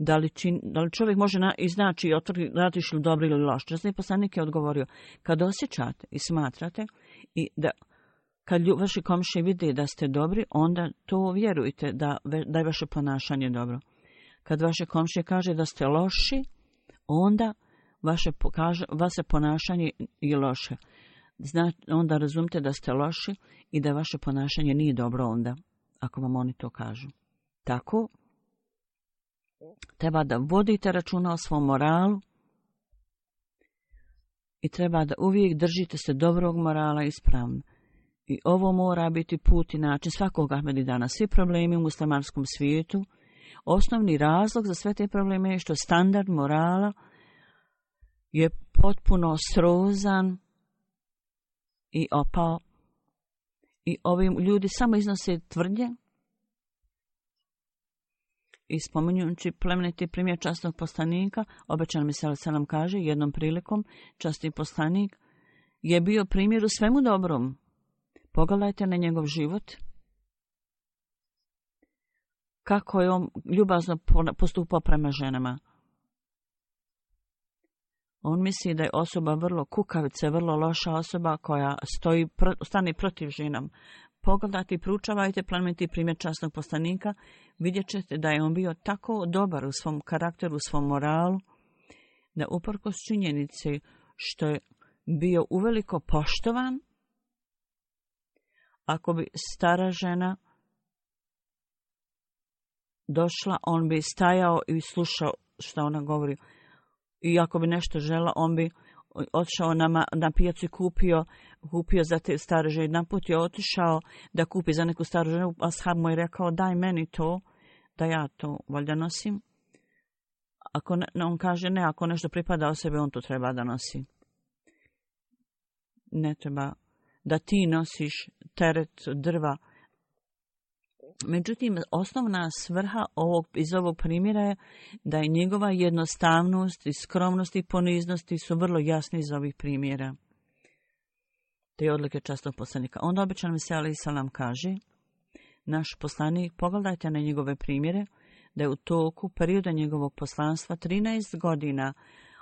Da li, čin, da li čovjek može na, iznaći i otvrdi radiš li dobro ili loš? Časni poslanik je odgovorio, kad osjećate i smatrate i da kad lju, vaši komšije vide da ste dobri, onda to vjerujte da, da je vaše ponašanje dobro. Kad vaše komšije kaže da ste loši, onda vaše, kaže, vaše ponašanje je loše. Zna, onda razumite da ste loši i da vaše ponašanje nije dobro onda, ako vam oni to kažu. Tako, treba da vodite računa o svom moralu i treba da uvijek držite se dobrog morala ispravno. I ovo mora biti put i način svakog Ahmedidana. Svi problemi u muslimanskom svijetu, osnovni razlog za sve te probleme je što standard morala je potpuno srozan i opao. I ovi ljudi samo iznose tvrdnje I spominjući plemeniti primjer časnog poslanika, obećan mi se nam kaže, jednom prilikom časni poslanik je bio primjer u svemu dobrom. Pogledajte na njegov život. Kako je on ljubazno postupao prema ženama. On misli da je osoba vrlo kukavica, vrlo loša osoba koja stoji, stane protiv ženama. Pogledajte i proučavajte plemeniti primjer časnog poslanika, vidjet ćete da je on bio tako dobar u svom karakteru, u svom moralu, da uprkos činjenici što je bio uveliko poštovan, ako bi stara žena došla, on bi stajao i slušao što ona govori. I ako bi nešto žela, on bi otišao na, na pijacu i kupio, kupio za te stare žene. Jedan put je otišao da kupi za neku staru ženu, a ashab mu je rekao, daj meni to, da ja to valjda nosim. Ako ne, on kaže, ne, ako nešto pripada o sebe, on to treba da nosi. Ne treba da ti nosiš teret drva. Međutim, osnovna svrha ovog, iz ovog primjera je da je njegova jednostavnost i skromnost i poniznosti su vrlo jasni iz ovih primjera. Te odlike časnog poslanika. Onda obećan mi se alejhi selam kaže, naš poslanik, pogledajte na njegove primjere, da je u toku perioda njegovog poslanstva trinaest godina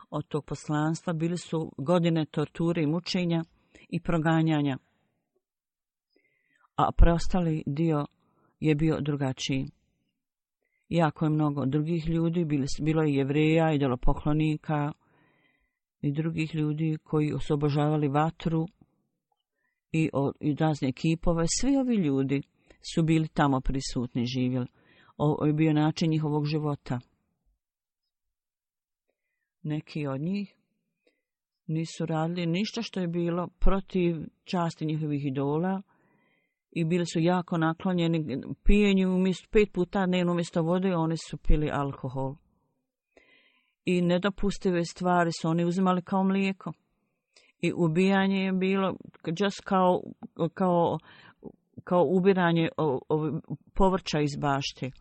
od tog poslanstva bili su godine torture i mučenja i proganjanja. A preostali dio je bio drugačiji. Jako je mnogo drugih ljudi, bilo je Jevreja, idolopoklonika i drugih ljudi koji su obožavali vatru i, i razne kipove. Svi ovi ljudi su bili tamo prisutni, živjeli. Ovo je bio način njihovog života. Neki od njih nisu radili ništa što je bilo protiv časti njihovih idola, i bili su jako naklonjeni pijenju umjesto pet puta dnevno umjesto vode, oni su pili alkohol. I nedopustive stvari su oni uzimali kao mlijeko. I ubijanje je bilo just kao, kao, kao ubiranje o, o, povrća iz bašte.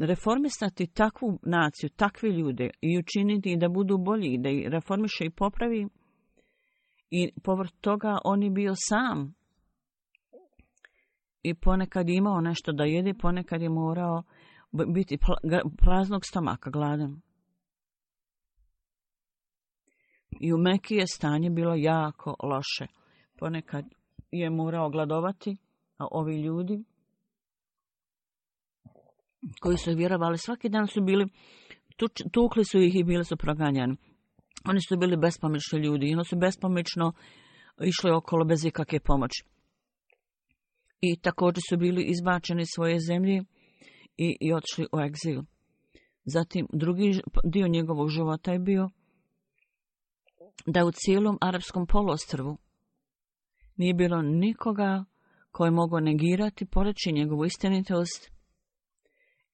Reformisati takvu naciju, takve ljude i učiniti da budu bolji, da ih reformiše i popravi. I povrh toga on je bio sam. I ponekad je imao nešto da jede, ponekad je morao biti praznog stomaka, gladan. I u Meki je stanje bilo jako loše. Ponekad je morao gladovati, a ovi ljudi koji su vjerovali svaki dan su bili, tukli su ih i bili su proganjani. Oni su bili bespomoćni ljudi i oni su bespomoćno išli okolo bez ikakve pomoći. I također su bili izbačeni iz svoje zemlje i, i otišli u egzil. Zatim drugi dio njegovog života je bio da u cijelom arapskom poluostrvu nije bilo nikoga koji je mogao negirati, poreći njegovu istinitost.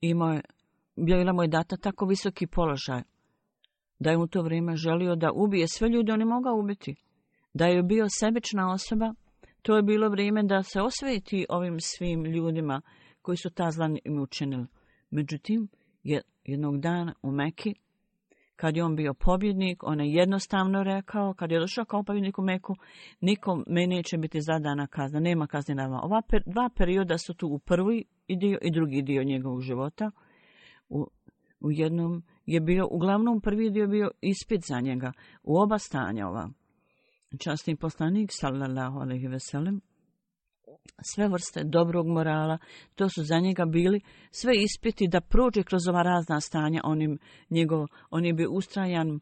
Imao je, bila mu je data tako visoki položaj da je u to vrijeme želio da ubije sve ljude, on je mogao ubiti. Da je bio sebična osoba, to je bilo vrijeme da se osveti ovim svim ljudima koji su ta zla im učinili. Međutim, jednog dana u Meki, kad je on bio pobjednik, on je jednostavno rekao, kad je došao kao pobjednik u Meku, nikom me neće biti zadana kazna, nema kazne na vama. Ova per, dva perioda su tu u prvi dio i drugi dio njegovog života. U, u jednom je bio, uglavnom prvi dio bio ispit za njega, u oba stanja ova. Časni poslanik, sallallahu alejhi ve sellem, sve vrste dobrog morala, to su za njega bili sve ispiti da prođe kroz ova razna stanja. On je, njegov, on je bio ustrajan,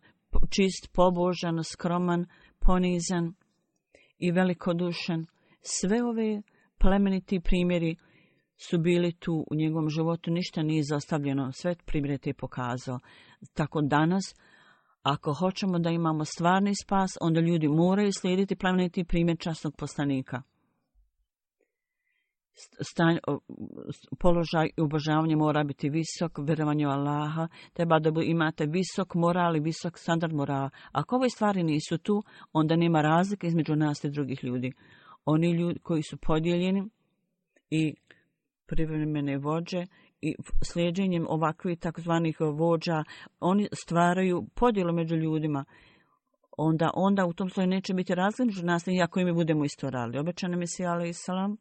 čist, pobožan, skroman, ponizan i velikodušan. Sve ove plemeniti primjeri su bili tu u njegovom životu, ništa nije izostavljeno, sve primjere te pokazao. Tako danas, ako hoćemo da imamo stvarni spas, onda ljudi moraju slijediti plemeniti primjer časnog poslanika. Stanj, položaj i obožavanje mora biti visok, vjerovanje u Allaha, treba da imate visok moral i visok standard morala. Ako ove stvari nisu tu, onda nema razlike između nas i drugih ljudi. Oni ljudi koji su podijeljeni i privremene vođe i slijedjenjem ovakvih takozvanih vođa, oni stvaraju podjelu među ljudima. Onda, onda u tom slučaju neće biti razlika među nas, iako i mi budemo isto radili. Obećani Mesija alejhi selam,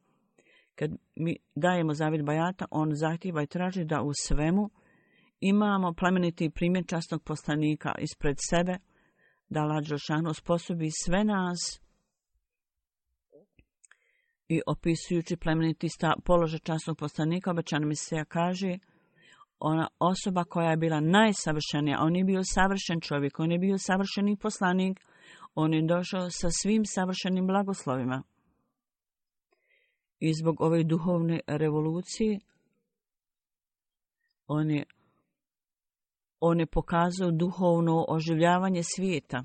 kad mi dajemo zavjet bajata, on zahtijeva i traži da u svemu imamo plemeniti primjer časnog poslanika ispred sebe, da Allah dželešanu osposobi sve nas i opisujući plemeniti položaj časnog poslanika, obećani Mesija kaže, ona osoba koja je bila najsavršenija, on je bio savršen čovjek, on je bio savršeni poslanik, on je došao sa svim savršenim blagoslovima. I zbog ove duhovne revolucije on je, on je pokazao duhovno oživljavanje svijeta.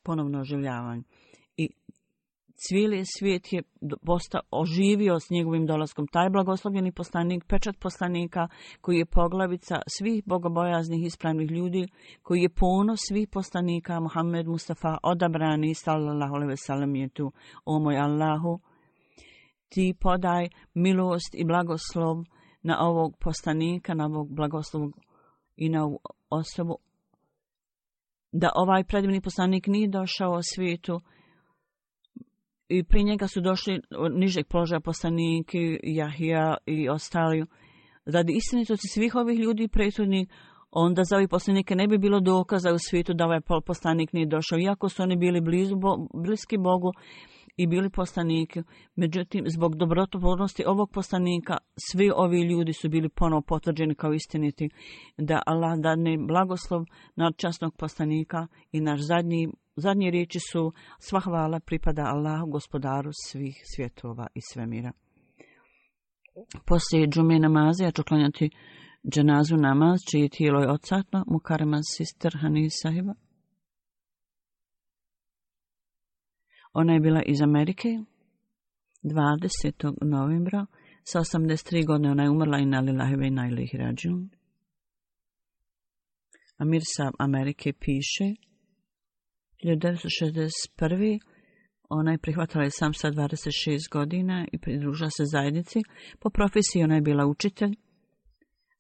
Ponovno oživljavanje. I cijeli svijet je postao oživio s njegovim dolaskom. Taj blagoslovljeni poslanik, pečat poslanika, koji je poglavica svih bogobojaznih ispravnih ljudi, koji je ponos svih poslanika, Muhammed Mustafa, odabrani, sallallahu alejhi ve sellem, je tu. O moj Allahu, ti podaj milost i blagoslov na ovog poslanika, na ovog blagoslovog i na ovu osobu, da ovaj predivni poslanik nije došao u svijetu i pri njega su došli nižeg položaja poslaniki, Jahija i ostali. Radi istinitosti svih ovih ljudi prethodnih, onda za ovih poslanike ne bi bilo dokaza u svijetu da ovaj poslanik nije došao, iako su oni bili blizu, bliski Bogu i bili poslaniki. Međutim, zbog dobrotvornosti ovog poslanika, svi ovi ljudi su bili ponovo potvrđeni kao istiniti, da Allah dadne blagoslov nad časnog poslanika i naš zadnji Zadnje riječi su: sva hvala pripada Allahu, gospodaru svih svjetova i svemira. Poslije džume namaza ja ću klanjati dženazu namaz, čije tijelo je odsatno, Mukarrema sister Hanis sahiba. Ona je bila iz Amerike, dvadesetog novembra, sa osamdeset tri godine ona je umrla i inna lillahi ve inna ilaihi rađiun. Amir sa Amerike piše: hiljadu devetsto šezdeset prve. ona je prihvatila islam sa dvadeset šest godina i pridružila se zajednici. Po profesiji ona je bila učitelj.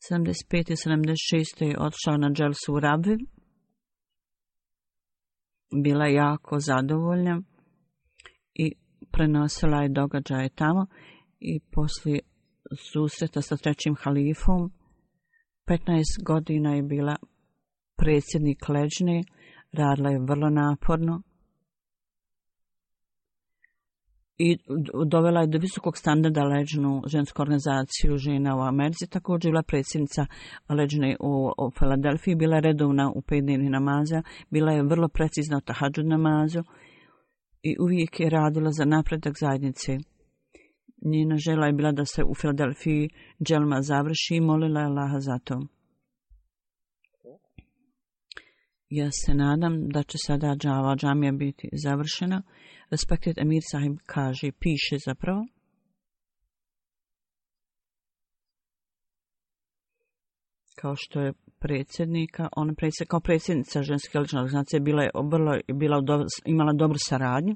sedamdeset pete i sedamdeset šeste je otišla na dželsu u Rabvi. Bila je jako zadovoljna i prenosila je događaje tamo i poslije susreta sa trećim halifom petnaest godina je bila predsjednik leđne. Radila je vrlo naporno i dovela je do visokog standarda leđnu žensku organizaciju žena u Americi. Također je bila predsjednica leđne u, u Filadelfiji, bila je redovna u pet dnevnih namaza, bila je vrlo precizna u tahadžud namazu i uvijek je radila za napredak zajednice. Njena želja je bila da se u Filadelfiji dželma završi i molila je Allaha za to. Ja se nadam da će sada džava džamija biti završena. Respected Amir sahib kaže, piše zapravo: kao što je predsjednika, ona predsjed, kao predsjednica ženske lične organizacije bila je vrlo, bila do, imala dobru saradnju.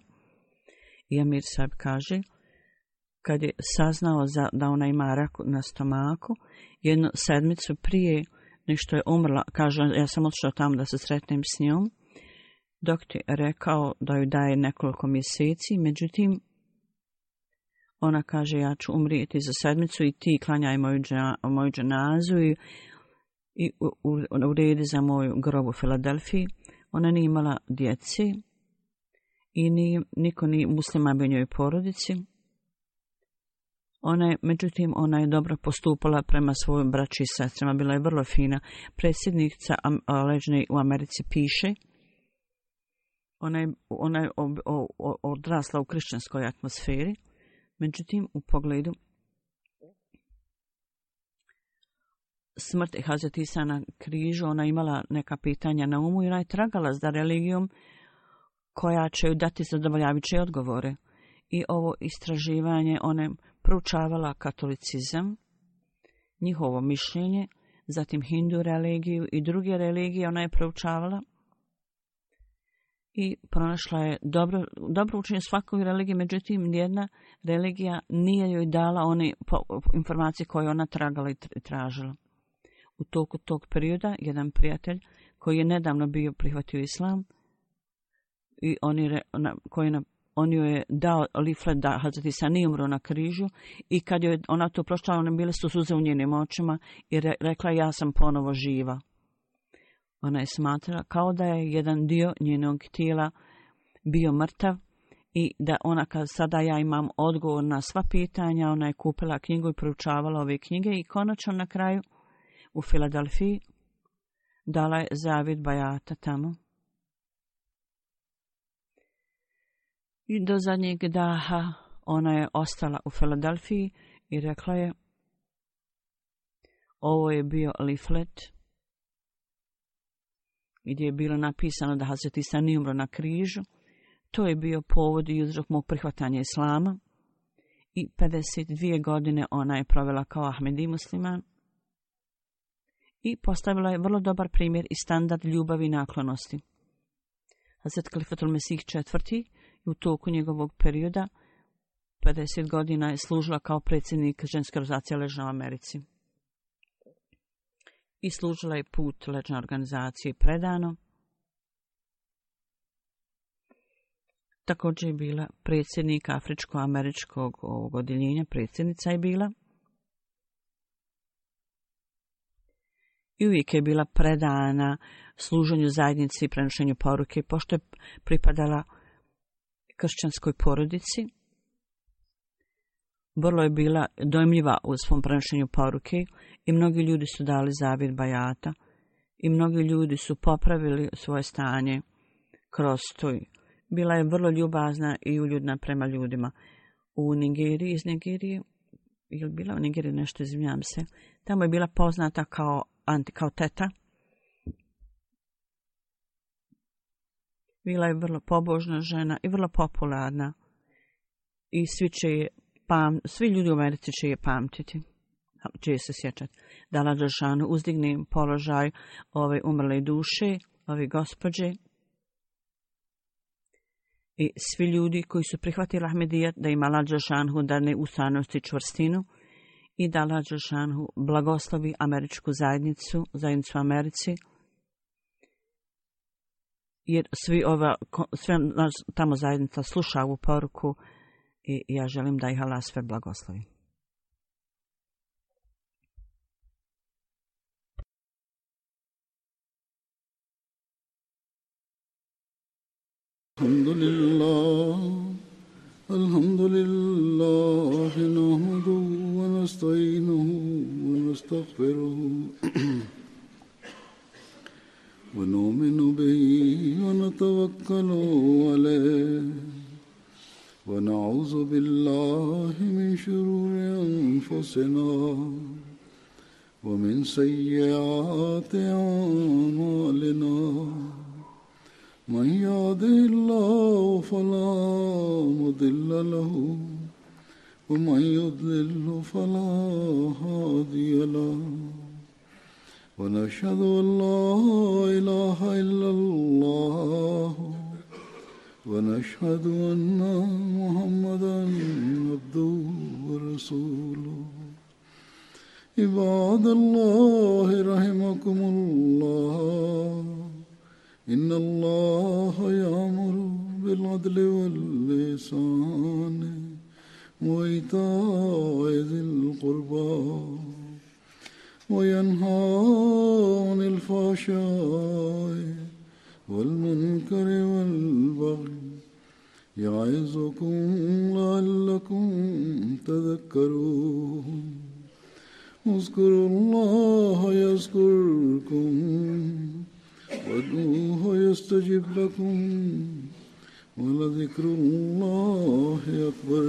I Amir sahib kaže, kad je saznao za, da ona ima rak na stomaku, jednu sedmicu prije nešto je umrla, kaže, ja sam otišao tamo da se sretnem s njom. Doktor je rekao da joj daje nekoliko mjeseci, međutim, ona kaže, ja ću umrijeti za sedmicu i ti klanjaj moju, moju dženazu i, i uredi za moju grob u Filadelfiji. Ona nije imala djeci i ni, niko ni muslima bi njoj porodici. Ona je, međutim, ona je dobro postupala prema svojim braći i sestrama, bila je vrlo fina. Predsjednica leđne u Americi piše, ona je, ona je o, o, o, odrasla u kršćanskoj atmosferi, međutim, u pogledu smrti Hazreti Isa na križu, ona imala neka pitanja na umu i ona je tragala za religijom koja će joj dati zadovoljavajuće odgovore. I ovo istraživanje, ona je proučavala katolicizam, njihovo mišljenje, zatim hindu religiju i druge religije ona je proučavala. i pronašla je dobro, dobro učenje svakoj religiji, međutim nijedna religija nije joj dala one informacije koje ona tragala i tražila. U toku tog perioda jedan prijatelj koji je nedavno bio prihvatio islam i on je, koji na, on joj je dao liflet da Hazreti Isa nije umro na križu i kad je ona to pročitala, one bile su suze u njenim očima i re, rekla ja sam ponovo živa. Ona je smatrala kao da je jedan dio njenog tijela bio mrtav i da ona kad sada ja imam odgovor na sva pitanja, ona je kupila knjigu i proučavala ove knjige i konačno na kraju u Filadelfiji dala je zavjet bajata tamo. I do zadnjeg daha ona je ostala u Filadelfiji i rekla je ovo je bio liflet gdje je bilo napisano da Hazreti Isa nije umro na križu. To je bio povod i uzrok mog prihvatanja islama i pedeset dvije godine ona je provela kao Ahmedi musliman i postavila je vrlo dobar primjer i standard ljubavi i naklonosti. Hazret Kalifatul Mesih četvrti u toku njegovog perioda pedeset godina je služila kao predsjednik ženske organizacije Ležna u Americi. I služila je put Ležne organizacije predano. Također je bila predsjednik Afričko-američkog odjeljenja, predsjednica je bila. I uvijek je bila predana služenju zajednici i prenošenju poruke, pošto je pripadala kršćanskoj porodici. Vrlo je bila dojmljiva u svom prenošenju poruke i mnogi ljudi su dali zavjet bajata i mnogi ljudi su popravili svoje stanje kroz to. Bila je vrlo ljubazna i uljudna prema ljudima. U Nigeriji, iz Nigerije, je li bila u Nigeriji nešto, izvinjam se, tamo je bila poznata kao, anti, kao teta. Bila je vrlo pobožna žena i vrlo popularna i svi će je Pam, svi ljudi u Americi će je pamtiti, će je se sjećati. Da Allah Đelešanu uzdigne položaj ove umrle duše, ove gospođe i svi ljudi koji su prihvatili Ahmedijat, da im Allah Đelešanu dane ustranost i čvrstinu i da Allah Đelešanu blagoslovi američku zajednicu, zajednicu u Americi, jer svi ova, sve tamo zajednica sluša ovu poruku i ja želim da ih Allah sve blagoslovi. Alhamdulillah, alhamdulillah, nahmaduhu wa nasta'inuhu wa nastaghfiruhu wa nu'minu bihi wa natawakkalu alayhi ونعوذ بالله من شرور أنفسنا ومن سيئات أعمالنا من يهده الله فلا مضل له ومن يضلل فلا هادي له ونشهد أن لا إله إلا الله ونشهد أن محمدا عبده ورسوله عباد الله رحمكم الله إن الله يأمر بالعدل والإحسان وإيتاء ذي القربى وينهى عن الفحشاء والمنكر والبغي يعظكم لعلكم تذكرون اذكروا الله يذكركم وادعوه يستجب لكم ولذكر الله أكبر.